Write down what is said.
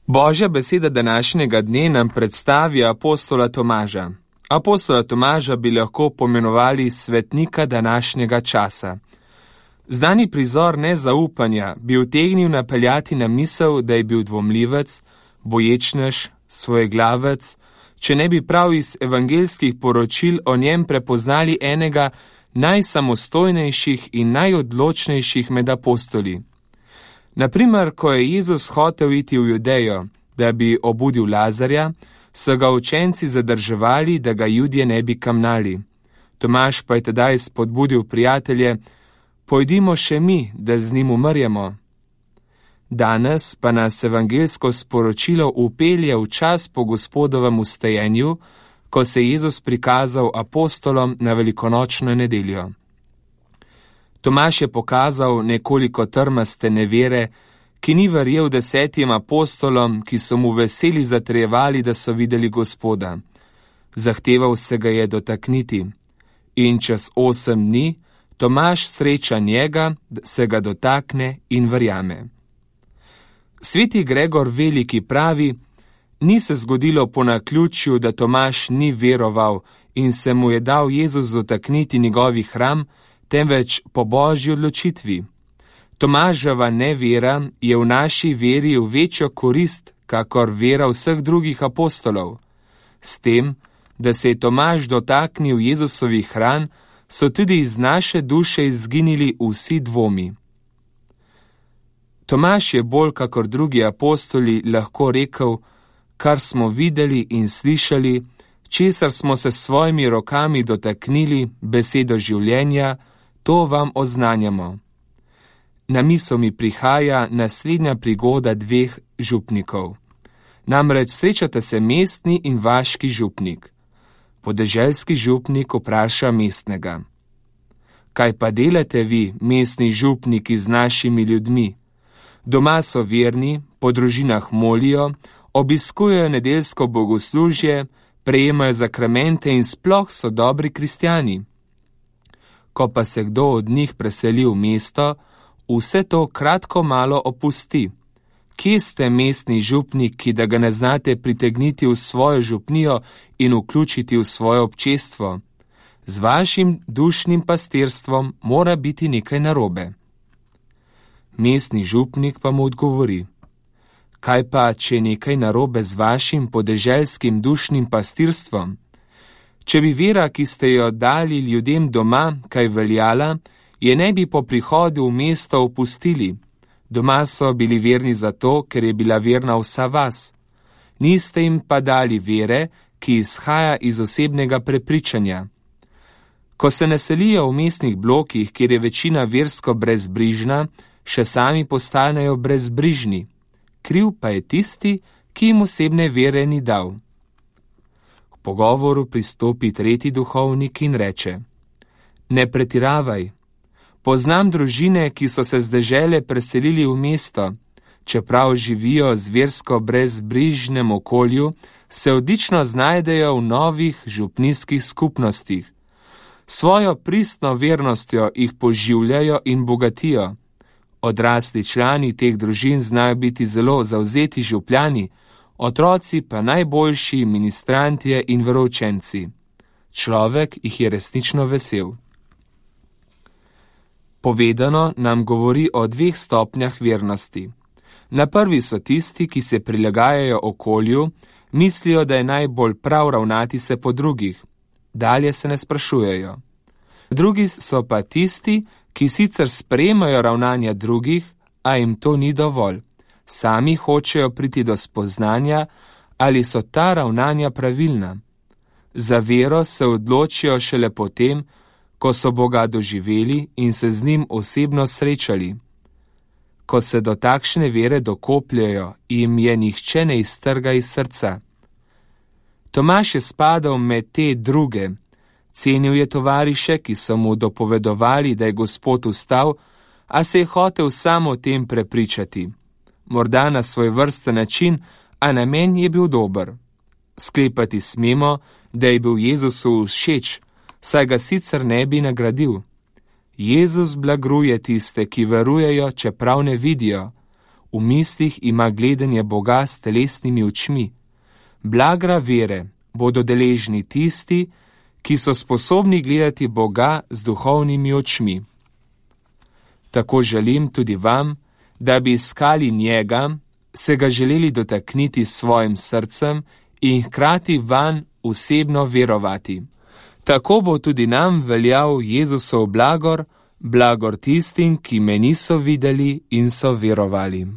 Božja beseda današnjega dne nam predstavi apostola Tomaža. Apostola Tomaža bi lahko pomenovali svetnika današnjega časa. Znani prizor nezaupanja bi utegnil napeljati na misel, da je bil dvomljivec, boječnež, svojeglavec, če ne bi prav iz evangeljskih poročil o njem prepoznali enega najsamostojnejših in najodločnejših med apostoli. Naprimer, ko je Jezus hotel iti v Judejo, da bi obudil Lazarja, so ga učenci zadrževali, da ga Judje ne bi kamnali. Tomaž pa je tedaj spodbudil prijatelje: pojdimo še mi, da z njim umrjemo. Danes pa nas evangeljsko sporočilo upelje v čas po Gospodovem vstajenju, ko se je Jezus prikazal apostolom na velikonočno nedeljo. Tomaž je pokazal nekoliko trmaste nevere, ki ni verjel 10 apostolom, ki so mu veseli zatrjevali, da so videli Gospoda. Zahteval se ga je dotakniti. In čez 8 dni Tomaž sreča njega, se ga dotakne in verjame. Sveti Gregor Veliki pravi: ni se zgodilo po naključju, da Tomaž ni veroval in se mu je dal Jezus dotakniti njegovih ram, temveč po Božji odločitvi. Tomaževa nevera je v naši veri v večjo korist, kakor vera vseh drugih apostolov. S tem, da se je Tomaž dotaknil Jezusovih ran, so tudi iz naše duše izginili vsi dvomi. Tomaž je bolj kakor drugi apostoli lahko rekel: kar smo videli in slišali, česar smo se s svojimi rokami dotaknili, besedo življenja, to vam oznanjamo. Na misel mi prihaja naslednja prigoda 2 župnikov. Namreč srečata se mestni in vaški župnik. Podeželski župnik vpraša mestnega: kaj pa delate vi, mestni župniki, z našimi ljudmi? Doma so verni, po družinah molijo, obiskujejo nedeljsko bogoslužje, prejemajo zakramente in sploh so dobri kristjani. Ko pa se kdo od njih preseli v mesto, vse to kratko malo opusti. Kje ste, mestni župniki, da ga ne znate pritegniti v svojo župnijo in vključiti v svoje občestvo? Z vašim dušnim pastirstvom mora biti nekaj narobe. Mestni župnik pa mu odgovori: kaj pa, če je nekaj narobe z vašim podeželskim dušnim pastirstvom? Če bi vera, ki ste jo dali ljudem doma, kaj veljala, je ne bi po prihodu v mesto opustili. Doma so bili verni zato, ker je bila verna vsa vas. Niste jim pa dali vere, ki izhaja iz osebnega prepričanja. Ko se naselijo v mestnih blokih, kjer je večina versko brezbrižna, še sami postanejo brezbrižni. Kriv pa je tisti, ki jim osebne vere ni dal. K pogovoru pristopi 3. duhovnik in reče: ne pretiravaj. Poznam družine, ki so se z dežele preselili v mesto. Čeprav živijo z versko brezbrižnem okolju, se odlično znajdejo v novih župnijskih skupnostih. Svojo pristno vernostjo jih poživljajo in bogatijo. Odrasli člani teh družin znajo biti zelo zavzeti župljani, otroci pa najboljši ministrantje in veroučenci. Človek jih je resnično vesel. Povedano nam govori o 2 stopnjah vernosti. Na prvi so tisti, ki se prilagajajo okolju, mislijo, da je najbolj prav ravnati se po drugih. Dalje se ne sprašujejo. Drugi so pa tisti, ki sicer sprejemajo ravnanja drugih, a jim to ni dovolj. Sami hočejo priti do spoznanja, ali so ta ravnanja pravilna. Za vero se odločijo šele potem, ko so Boga doživeli in se z njim osebno srečali. Ko se do takšne vere dokopljajo, jim je nihče ne iztrga iz srca. Tomaž je spadal med te druge. Cenil je tovariše, ki so mu dopovedovali, da je Gospod vstal, a se je hotel sam o tem prepričati. Morda na svoj vrsten način, a namen je bil dober. Sklepati smemo, da je bil Jezusu všeč, saj ga sicer ne bi nagradil. Jezus blagruje tiste, ki verujejo, čeprav ne vidijo. v mislih ima gledanje Boga s telesnimi očmi. Blagra vere bodo deležni tisti, ki so sposobni gledati Boga z duhovnimi očmi. Tako želim tudi vam, da bi iskali njega, se ga želeli dotakniti s svojim srcem in hkrati vanj osebno verovati. Tako bo tudi nam veljal Jezusov blagor, blagor tistim, ki me niso videli in so verovali.